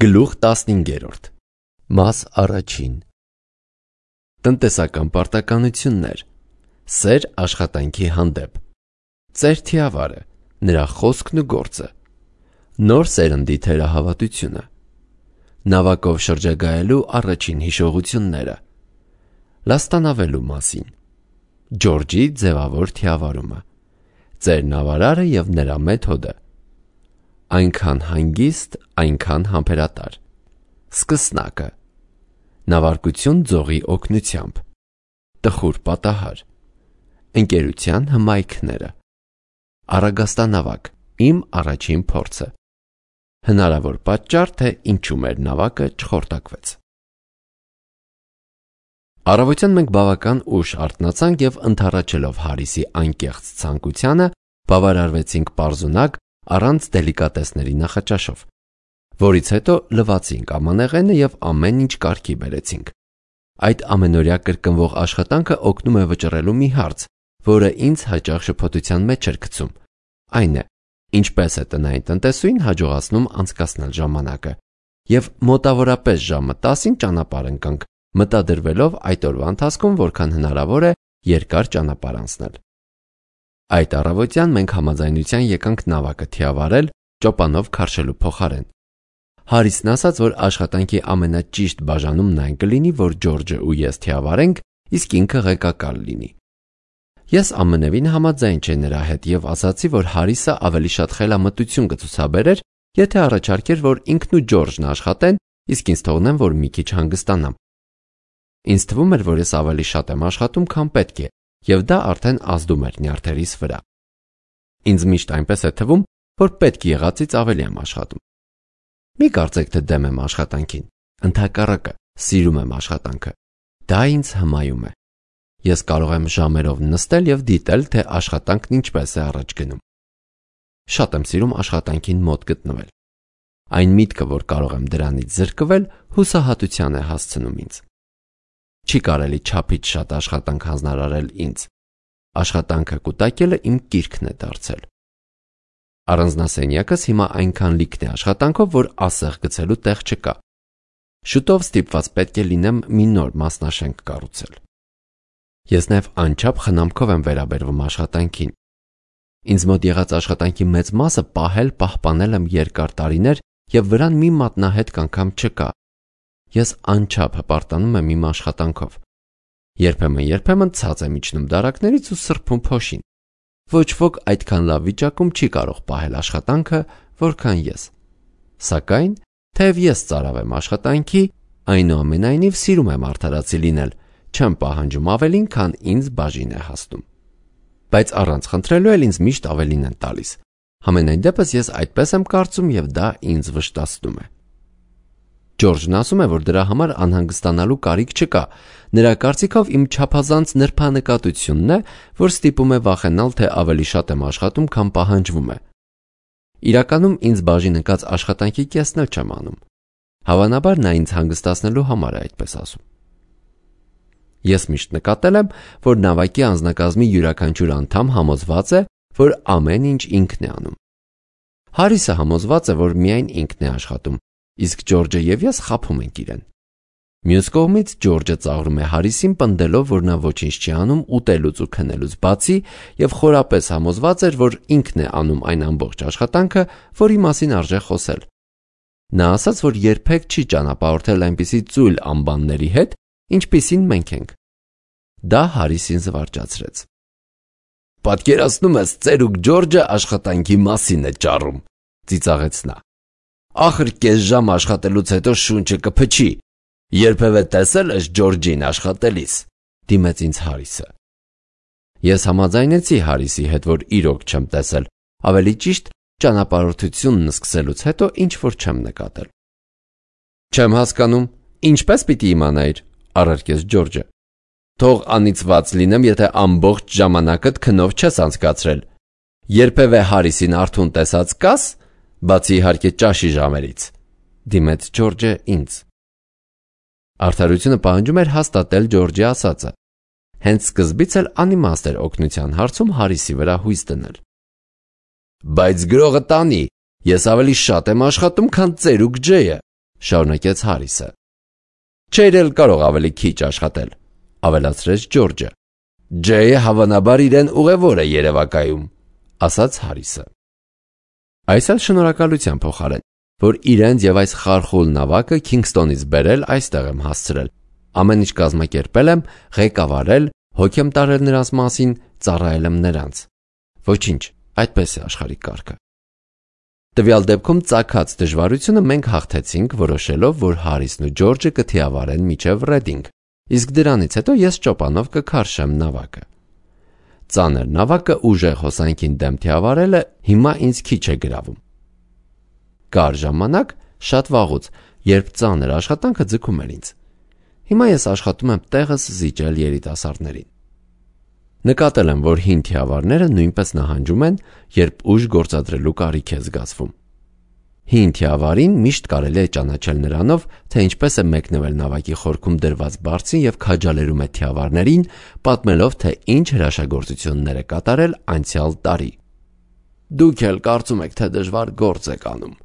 Գլուխ 15 Մաս առաջին Տնտեսական պարտականություններ Սեր աշխատանքի հանդեպ Ծեր թիավարը Նրա խոսքն ու գործը Նոր սերնդի թերահավատությունը Նավակով շրջագայելու առաջին հիշողությունները Լաստանավելու մասին Ջորջի ձևավոր թիավարումը Ծեր նավարարը և նրա մեթոդը Այնքան հանգիստ, այնքան համբերատար Սկսնակը Նավարկություն ձողի օգնությամբ Տխուր պատահար Ընկերության հմայքները Արագաստանավակ Իմ առաջին փորձը Հնարավոր պատճառ, թե ինչու մեր նավակը չխորտակվեց Առավոտյան մենք բավական ուշ արթնացանք և ընդառաջելով Հարիսի անկեղծ ցանկությանը բավարարվեցինք պարզունակ առանց դելիկատեսների նախաճաշով, որից հետո լվացինք ամանեղենը և ամեն ինչ կարգի բերեցինք։ Այդ ամենօրյա կրկնվող աշխատանքը օգնում է վճռելու մի հարց, որը ինձ հաճախ շփոթության մեջ էր գցում, այն է, ինչպես է տնային տնտեսուհին հաջողացնում անցկасնել ժամանակը, և մոտավորապես ժամը 10-ին ճանապարհ ընկանք, մտադրվելով այդ օրվա ընթացքում որքան հնարավոր է երկար ճանապարհ անցնել։ Այդ առավոտյան մենք համաձայնության եկանք նավակը թիավարել ճոպանով քարշելու փոխարեն։ Հարիսն ասաց, որ աշխատանքի ամենաճիշտ բաժանումն այն կլինի, որ Ջորջը ու ես թիավարենք, իսկ ինքը ղեկակար լինի։ Ես ամենևին համաձայն չէի նրա հետ և ասացի, որ Հարիսը ավելի շատ խելամտություն կցուցաբերեր, եթե առաջարկեր, որ ինքն ու Ջորջն աշխատեն, իսկ ինձ թողնեն, որ մի քիչ հանգստանամ։ Ինձ թվում էր, որ ես ավելի շատ եմ աշխատում, քան պետք է, և դա արդեն ազդում էր նյարդերիս վրա։ Ինձ միշտ այնպես է թվում, որ պետք եղածից ավելի եմ աշխատում։ Մի կարծեք, թե դեմ եմ աշխատանքին, ընդհակառակը, սիրում եմ աշխատանքը։ Դա ինձ հմայում է։ Ես կարող եմ ժամերով նստել և դիտել, թե աշխատանքն ինչպես է առաջ գնում։ Շատ եմ սիրում աշխատանքին մոտ գտնվել։ Այն միտքը, որ կարող եմ դրանից զրկվել, հուսահատության է հասցնում ինձ։ Չի կարելի չափից շատ աշխատանք հանձնարարել ինձ։ Աշխատանքը կուտակելը իմ կիրքն է դարձել։ Առանձնասենյակս հիմա այնքան լիքն է աշխատանքով, որ ասեղ գցելու տեղ չկա։ Շուտով ստիպված պետք է լինեմ մի նոր մասնաշենք կառուցել։ Ես նաև անչափ խնամքով եմ վերաբերվում աշխատանքին։ Ինձ մոտ եղած աշխատանքի մեծ մասը պահպանել եմ երկար տարիներ և վրան մի մատնահետք անգամ չկա։ Ես անչափ հպարտանում եմ իմ աշխատանքով։ Երբեմն ցած եմ իջնում դարակներից ու սրբում փոշին։ Ոչ ոք այդքան լավ վիճակում չի կարող պահել աշխատանքը, որքան ես։ Սակայն, թեև ես ծարավ եմ աշխատանքի, այնուամենայնիվ սիրում եմ արդարացի լինել, չեմ պահանջում ավելին, քան ինձ բաժին է հասնում։ Բայց առանց խնդրելու էլ ինձ միշտ ավելին են տալիս։ Համենայն դեպս ես այդպես եմ կարծում և դա ինձ վշտացնում է։ Ջորջն ասում է, որ դրա համար անհանգստանալու կարիք չկա։ Նրա կարծիքով իմ չափազանց նրբանկատությունն է, որ ստիպում է վախենալ, թե ավելի շատ եմ աշխատում, քան պահանջվում է։ Իրականում ինձ բաժին ընկած աշխատանքի կեսն էլ չեմ անում։ Հավանաբար նա ինձ հանգստացնելու համար է այդպես ասում։ Ես միշտ նկատել եմ, որ նավակի անձնակազմի յուրաքանչյուր անդամ համոզված է, որ ամեն ինչ ինքն է անում։ Հարիսը համոզված է, որ միայն ինքն է աշխատում, իսկ Ջորջը և ես խաբում ենք իրեն։ Մյուս կողմից Ջորջը ծաղրում է Հարիսին, պնդելով, որ նա ոչինչ չի անում ուտելուց ու քնելուց բացի և խորապես համոզված էր, որ ինքն է անում այն ամբողջ աշխատանքը, որի մասին արժե խոսել։ Նա ասաց, որ երբեք չի ճանապարհորդել այնպիսի ծույլ անբանների հետ, ինչպիսին մենք ենք։ Դա Հարիսին զվարճացրեց։ Պատկերացնում ես, ծերուկ Ջորջը աշխատանքի մասին է ճառում, ծիծաղեց նա։ Ախր կես ժամ աշխատելուց հետո շունչը կփչի։ Երբևէ տեսել ես Ջորջին աշխատելիս, դիմեց ինձ Հարիսը։ Ես համաձայնեցի Հարիսի հետ, որ իրոք չեմ տեսել, ավելի ճիշտ ճանապարհորդությունն սկսելուց հետո ինչ որ չեմ նկատել։ Չեմ հասկանում, ինչպես պիտի իմանայիր, առարկեց Ջորջը։ Թող անիծված լինեմ, եթե ամբողջ ժամանակդ քնով չես անցկացրել։ Երբևէ Հարիսին արթուն տեսած կաս, բացի իհարկե ճաշի ժամերից, դիմեց Ջորջը ինձ։ Արդարությունը պահանջում էր հաստատել Ջորջի ասածը։ Հենց սկզբից էլ անիմաստ էր օգնության հարցում Հարիսի վրա հույս դնել։ Բայց գրողը տանի, ես ավելի շատ եմ աշխատում, քան ծերուկ Ջեյը, շարունակեց Հարիսը։ Չէր էլ կարող ավելի քիչ աշխատել, ավելացրեց Ջորջը։ Ջեյը հավանաբար իրեն ուղևոր է երևակայում, ասաց Հարիսը։ Այս էլ շնորհակալության փոխարեն, որ իրենց եւ այս խարխուլ նավակը Քինգսթոնից բերել այստեղ եմ հասցրել։ Ամեն ինչ կազմակերպել եմ, ղեկավարել, հոգ եմ տարել նրանց մասին, ծառայել եմ նրանց։ Ոչինչ, այդպես է աշխարհի կարգը։ Տվյալ դեպքում ծագած դժվարությունը մենք հաղթեցինք, որոշելով, որ Հարիսն ու Ջորջը կթիավարեն մինչև Ռեդինգ, իսկ դրանից հետո ես ճոպանով կքարշեմ նավակը։ Ծանր նավակը ուժեղ հոսանքին դեմ թիավարելը հիմա ինձ քիչ է գրավում։ Կար ժամանակ, շատ վաղուց, երբ ծանր աշխատանքը ձգում էր ինձ։ Հիմա ես աշխատում եմ տեղս զիջել երիտասարդներին։ Նկատել եմ, որ հին թիավարները նույնպես նահանջում են, երբ ուժ գործադրելու կարիք է զգացվում։ Հին թիավարին միշտ կարելի է ճանաչել նրանով, թե ինչպես է մեկնվել նավակի խորքում դրված բարձին եւ քաջալերում է թիավարներին, պատմելով, թե ինչ հրաշագործություններ է կատարել անցյալ տարի։ Դուք էլ կարծում եք, թե դժվար գործ եք անում,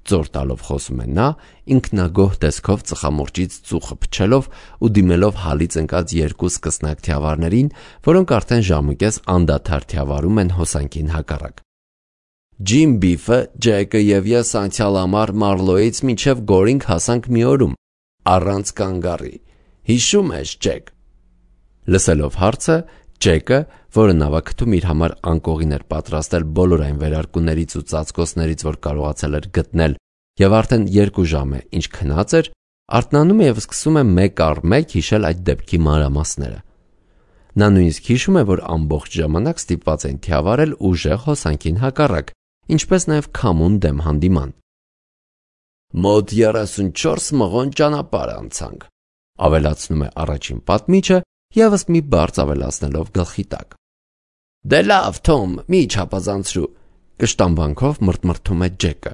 ծոր տալով խոսում է նա, ինքնագոհ տեսքով ծխամորճից ծուխը փչելով ու դիմելով հալից ընկած երկու սկսնակ թիավարներին, որոնք արդեն ժամուկես անդադար թիավարում են հոսանքին հակառակ։ Ջիմ Բիֆը, Ջեկը եւ ես անցյալ ամառ Մարլոյից մինչև Գորինգ հասանք մի օրում, առանց կանգառի։ Հիշում ես, Ջեք։ Լսելով հարցը, Ջեկը, որը նավակթում իր համար անկողին էր պատրաստել բոլոր այն վերարկուներից ու ծածկոցներից, որ կարողացել էր գտնել, եւ արդեն 2 ժամ է, ինչ քնած էր, արթնանում է եւ սկսում է մեկ առ մեկ հիշել այդ դեպքի մանրամասները։ Նա նույնիսկ հիշում է, որ ամբողջ ժամանակ ստիպված են թիավարել ուժեղ հոսանքին հակառակ, ինչպես նաեւ քամուն դեմ հանդիման։ Մոտ 34 մղոն ճանապարհ անցանք, ավելացնում է առաջին պատմիչը, եւս մի բարձ ավելացնելով գլխի տակ։ Դե լավ, Թոմ, մի չափազանցրու, կշտամբանքով մրթմրթում է Ջեկը։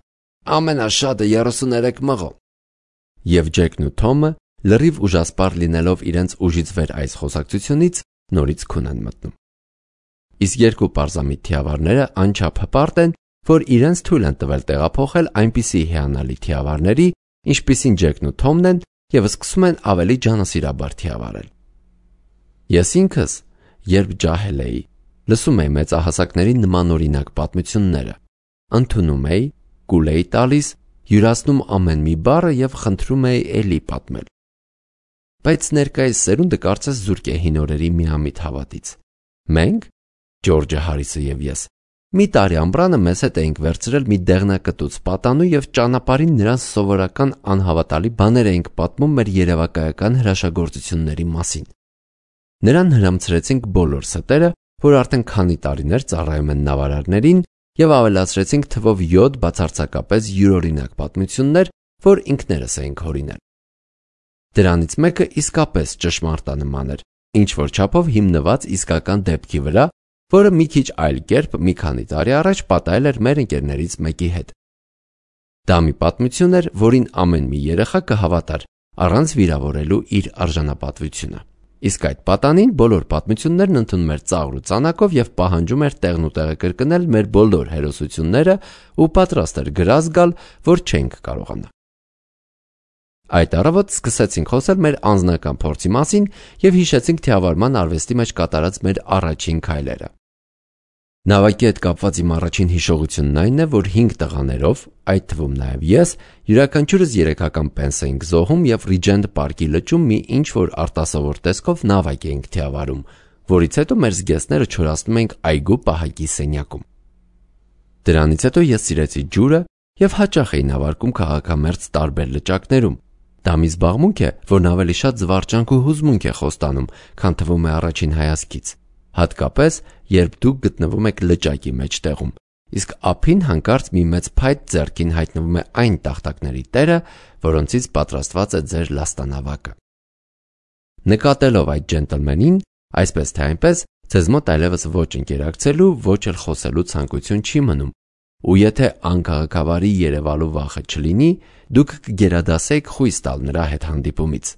Ամենաշատը 33 մղոն։ Եվ Ջեկն ու Թոմը, լրիվ ուժասպառ լինելով իրենց ուժից վեր այս խոսակցությունից, նորից քուն են մտնում։ Իսկ երկու պարզամիտ թիավարները անչափ հպարտ են, որ իրենց թույլ են տվել տեղափոխել այնպիսի հիանալի թիավարների, ինչպիսին Ջեկն ու Թոմն են, եւ սկսում են ավելի ջանասիրաբար թիավարել։ Ես ինքս, երբ ջահել էի, լսում էի մեծահասակների նմանօրինակ պատմությունները, ընդունում էի, կուլ էի տալիս, յուրացնում ամեն մի բառը եւ խնդրում էի էլի պատմել։ Բայց ներկայիս սերունդը կարծես զուրկ է հին օրերի միամիտ հավատից։ Մենք, Ջորջը, Հարիսը եւ ես, մի տարի ամբրանը մեզ հետ էինք վերցրել մի դեղնակտուց պատանու եւ ճանապարհին նրանց սովորական անհավատալի բաներ էինք պատմում մեր երևակայական հրաշագործությունների մասին։ Նրան հրամցրեցինք բոլոր ստերը, որ արդեն քանի տարիներ ծառայում են նավարարներին, եւ ավելացրեցինք թվով 7 բացարձակապես յուրօրինակ պատմություններ, որ ինքներս էինք հորինել։ Դրանից մեկը իսկապես ճշմարտանման էր, ինչ որ չափով հիմնված իսկական դեպքի վրա, որը մի քիչ այլ կերպ մի քանի տարի առաջ պատահել էր մեր ընկերներից մեկի հետ։ Դա մի պատմություն էր, որին ամեն մի երեխա կհավատար, առանց վիրավորելու իր արժանապատվությունը։ Իսկ այդ պատանին բոլոր պատմություններն ընդունում էր ծաղր ու ծանակով եւ պահանջում էր տեղն ու տեղը կրկնել մեր բոլոր հերոսությունները ու պատրաստ էր գրազ գալ, որ չենք կարողանա։ Այդ առավոտ սկսեցինք խոսել մեր անձնական փորձի մասին եւ հիշեցինք թիավարման արվեստի մեջ կատարած մեր առաջին քայլերը։ Նավակի հետ կապված իմ առաջին հիշողությունն այն է, որ 5 տղաներով, այդ թվում նաեւ ես, յուրաքանչյուրս 3-ական պենս էինք զոհում եւ Ռիջենտ պարկի լճում մի ինչ-որ արտասովոր տեսքով նավակ էինք թիավարում, որից հետո մեր զգեստները չորացնում էինք այգու պահակի սենյակում։ Դրանից հետո ես սիրեցի ջուրը եւ հաճախ էի նավարկում քաղաքամերձ տարբեր լճակներում։ Դա մի զբաղմունք է, որն ավելի շատ զվարճանք ու հուզմունք է խոստանում, քան թվում է առաջին հայացքից, հատկապես երբ դուք գտնվում եք լճակի մեջտեղում, իսկ ափին հանկարծ մի մեծ փայտ ձեռքին հայտնվում է այն տախտակների տերը, որոնցից պատրաստված է ձեր լաստանավակը։ Նկատելով այդ ջենտլմենին, այսպես թե այնպես, ձեզ մոտ այլևս ոչ ընկերակցելու, ոչ էլ խոսելու ցանկություն չի մնում, ու եթե անկաղակավարի երևալու վախը չլինի, դուք կգերադասեք խույս տալ նրա հետ հանդիպումից։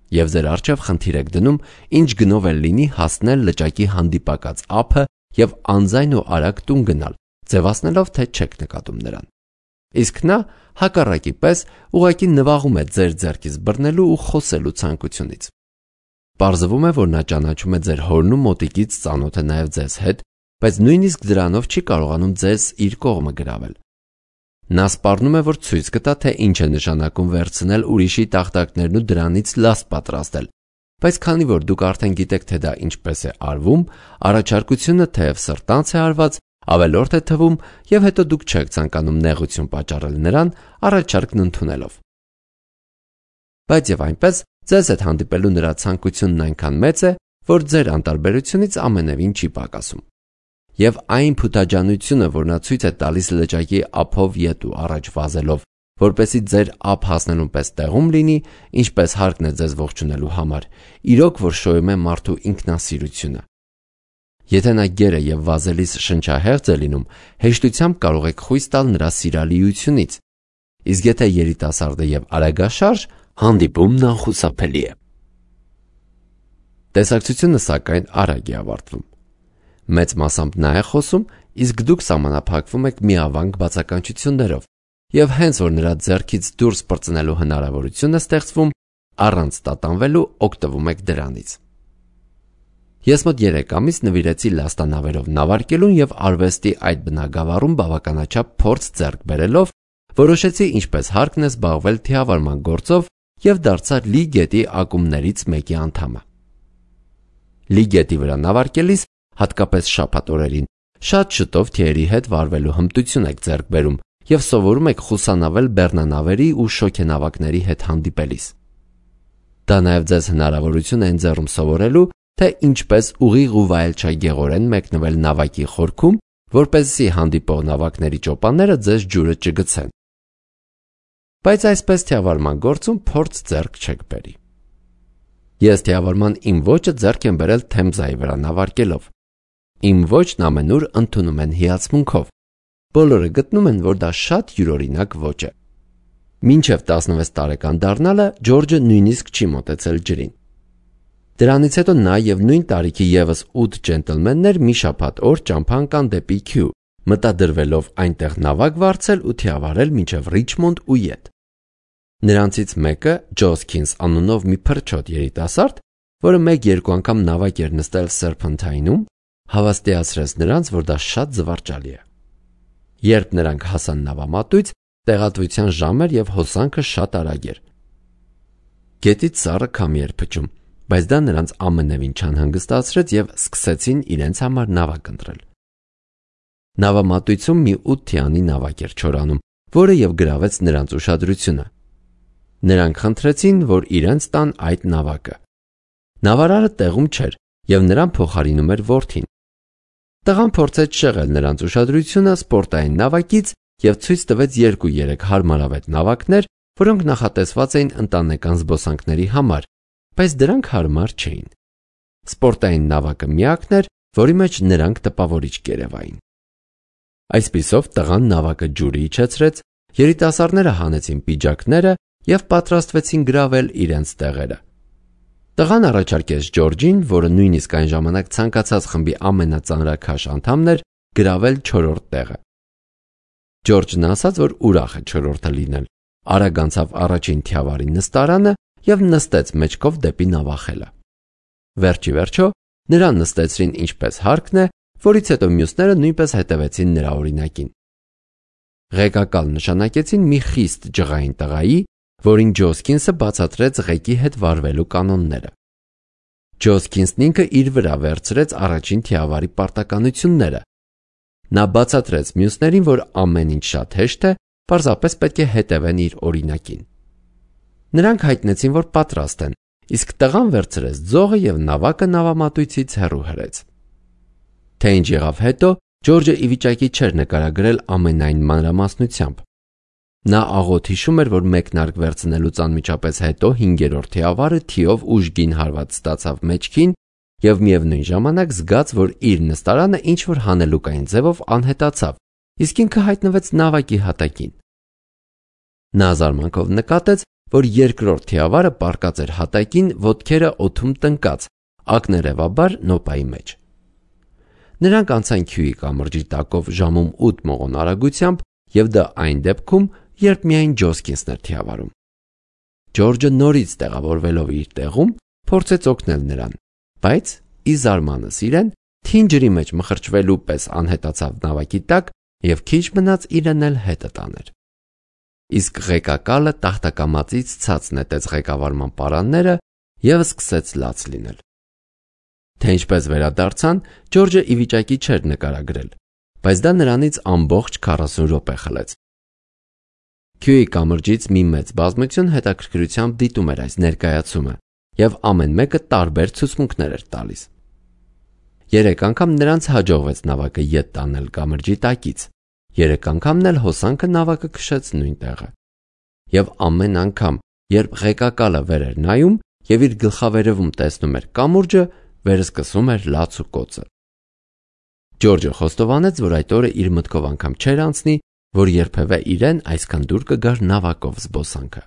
Եվ ձեր առջև խնդիր եք դնում, ինչ գնով էլ լինի հասնել լճակի հանդիպակաց ափը եւ անձայն ու արագ տուն գնալ, ձևացնելով, թե չեք նկատում նրան։ իսկ նա հակառակի պես ուղղակի նվաղում է ձեր ձեռքից բռնելու ու խոսելու ցանկությունից։ Պարզվում է, որ նա ճանաչում է ձեր հորն ու մոտիկից ծանոթ է նաև ձեզ հետ, բայց նույնիսկ դրանով չի կարողանում ձեզ իր կողմը գրավել։ Նա սպառնում է, որ ցույց կտա, թե ինչ է նշանակում վերցնել ուրիշի տախտակներն ու դրանից լաստ պատրաստել, բայց քանի որ դուք արդեն գիտեք, թե դա ինչպես է արվում, առաջարկությունը թեև սրտանց է արված, ավելորդ է թվում եւ հետո դուք չեք ցանկանում նեղություն պատճառել նրան առաջարկն ընդունելով։ Բայց եւ այնպես ձեզ հետ հանդիպելու նրա ցանկությունն այնքան մեծ է, որ ձեր անտարբերությունից ամենևին չի պակասում։ Եվ այն փութաջանությունը, որ նա ցույց է տալիս լճակի ափով ետ ու առաջ վազելով, որպեսզի ձեր ափ հասնելուն պես տեղում լինի, ինչպես հարկն է ձեզ ողջունելու համար, իրոք որ շոյում է մարդու ինքնասիրությունը։ Եթե նա գեր է եւ վազելիս շնչահեղձ է լինում, հեշտությամբ կարող եք խույս տալ նրա սիրալիությունից, իսկ եթե երիտասարդ է եւ արագաշարժ, հանդիպումն անխուսափելի է։ Տեսակցությունը սակայն արագ է ավարտվում։ Մեծ մասամբ նա է խոսում, իսկ դուք սահմանափակվում եք միավանք բացականչություններով, եւ հենց որ նրա ձեռքից դուրս պրծնելու հնարավորություն է ստեղծվում, առանց տատանվելու օգտվում եք դրանից։ Ես մոտ 3 ամիս նվիրեցի լաստանավերով նավարկելուն եւ արվեստի այդ բնագավառում բավականաչափ փորձ ձեռք բերելով, որոշեցի ինչպես հարկն է զբաղվել թիավարման գործով եւ դարձա Լի գետի ակումբներից մեկի անդամը։ Լի գետի վրա նավարկելիս, հատկապես շաբաթ օրերին, շատ շուտով թիերի հետ վարվելու հմտություն եք ձեռք բերում եւ սովորում եք խուսանավել բեռնանավերի ու շոգենավակների հետ հանդիպելիս։ Դա նաեւ ձեզ հնարավորություն է ընձեռում սովորելու, թե ինչպես ուղիղ ու վայելչագեղորեն մեկնվել նավակի խորքում, որպեսզի հանդիպող նավակների ճոպանները ձեզ ջուրը չգցեն։ Բայց այսպես թիավարման գործում փորձ ձեռք չեք բերի։ Ես թիավարման իմ ոճը ձեռք եմ բերել Թեմզայի վրա նավարկելով։ Իմ ոճն ամենուր ընդունում են հիացմունքով։ Բոլորը գտնում են, որ դա շատ յուրօրինակ ոճ է։ Մինչև 16 տարեկան դառնալը Ջորջը նույնիսկ չի մոտեցել ջրին։ Դրանից հետո նա եւ նույն տարիքի եւս 8 ջենտլմեններ մի շաբաթ օր ճամփա ընկան դեպի Քյու, մտադրվելով այնտեղ նավակ վարձել ու թիավարել մինչև Ռիչմոնդ ու ետ։ Նրանցից մեկը, Ջոսքինս անունով մի փրչոտ երիտասարդ, որը 1-2 անգամ նավակ էր նստել Սերփընթայնում, հավաստիացրեց նրանց, որ դա շատ զվարճալի է։ Երբ նրանք հասան նավամատույց, տեղատվության ժամ էր եւ հոսանքը շատ արագ էր։ Գետից սառը քամի էր փչում, բայց դա նրանց ամենևին չանհանգստացրեց եւ սկսեցին իրենց համար նավակ ընտրել։ Նավամատույցում մի 8 թիանի նավակ էր չորանում, որը եւ գրավեց նրանց ուշադրությունը։ Նրանք խնդրեցին, որ իրենց տան այդ նավակը։ Նավարարը տեղում չէր եւ նրան փոխարինում էր որդին։ Տղան փորձեց շեղել նրանց ուշադրությունը սպորտային նավակից եւ ցույց տվեց 2-3 հարմարավետ նավակներ, որոնք նախատեսված էին ընտանեկան զբոսանքների համար, բայց դրանք հարմար չէին։ Սպորտային նավակը միակն էր, որի մեջ նրանք տպավորիչ կերևային։ Այսպիսով տղան նավակը ջուրի իջեցրեց, երիտասարդները հանեցին պիջակները եւ պատրաստվեցին գրավել իրենց տեղերը։ Տղան առաջարկեց Ջորջին, որը նույնիսկ այն ժամանակ ցանկացած խմբի ամենածանրաքաշ անդամն էր, գրավել 4-րդ տեղը։ Ջորջն ասաց, որ ուրախ է 4-րդը լինել, արագ անցավ առաջին թիավարի նստարանը եւ նստեց մեջքով դեպի նավախելը։ Վերջի վերջո նրան նստեցրին ինչպես հարկն է, որից հետո մյուսները նույնպես հետևեցին նրա օրինակին։ Ղեկակալ նշանակեցին մի խիստ ջղային տղայի, որին Ջոսքինսը բացատրեց ղեկի հետ վարվելու կանոնները։ Ջոսքինսն ինքը իր վրա վերցրեց առաջին թիավարի պարտականությունները։ Նա բացատրեց մյուսներին, որ ամեն ինչ շատ հեշտ է, պարզապես պետք է հետևեն իր օրինակին։ Նրանք հայտնեցին, որ պատրաստ են, իսկ տղան վերցրեց ձողը եւ նավակը նավամատույցից հեռու հրեց։ Թե ինչ եղավ հետո, Ջորջը ի վիճակի չէր նկարագրել ամենայն մանրամասնությամբ։ Նա աղոտ հիշում էր, որ մեկնարկ վերցնելուց անմիջապես հետո 5-րդ թիավարը թիով ուժգին հարված ստացավ մեջքին եւ միևնույն ժամանակ զգաց, որ իր նստարանը ինչ որ հանելուկային ձևով անհետացավ, իսկ ինքը հայտնվեց նավակի հատակին։ Նա զարմանքով նկատեց, որ 2-րդ թիավարը պառկած էր հատակին, ոտքերը օդում տնկած, ակներևաբար նոպայի մեջ։ Նրանք անցան Քյուի կամրջի տակով ժամում 8 մողոն արագությամբ եւ դա այն դեպքում, երբ միայն Ջոսկինսն էր թիավարում։ Ջորջը նորից տեղավորվելով իր տեղում, փորձեց օգնել նրան, բայց ի զարմանս իրեն թին ջրի մեջ մխրճվելու պես անհետացավ նավակի տակ եւ քիչ մնաց իրեն էլ հետը տաներ։ Իսկ ղեկակալը տախտակամածից ցած նետեց ղեկավարման պարանները եւ սկսեց լաց լինել։ Թե ինչպես վերադարձան, Ջորջը ի վիճակի չէր նկարագրել, բայց դա նրանից ամբողջ 40 րոպե խլեց։ Քյուի կամրջից մի մեծ բազմություն հետաքրքրությամբ դիտում էր այս ներկայացումը եւ ամեն մեկը տարբեր ցուցմունքներ էր տալիս։ 3 անգամ նրանց հաջողվեց նավակը ետ տանել կամրջի տակից, 3 անգամն էլ հոսանքը նավակը քշեց նույն տեղը։ Եվ ամեն անգամ, երբ ղեկակալը վեր էր նայում եւ իր գլխավերևում տեսնում էր կամուրջը, վերսկսում էր լաց ու կոծը։ Ջորջը խոստովանեց, որ այդ օրը իր մտքով անգամ չէր անցնի, որ երբևէ իրեն այսքան դուր կգար նավակով զբոսանքը։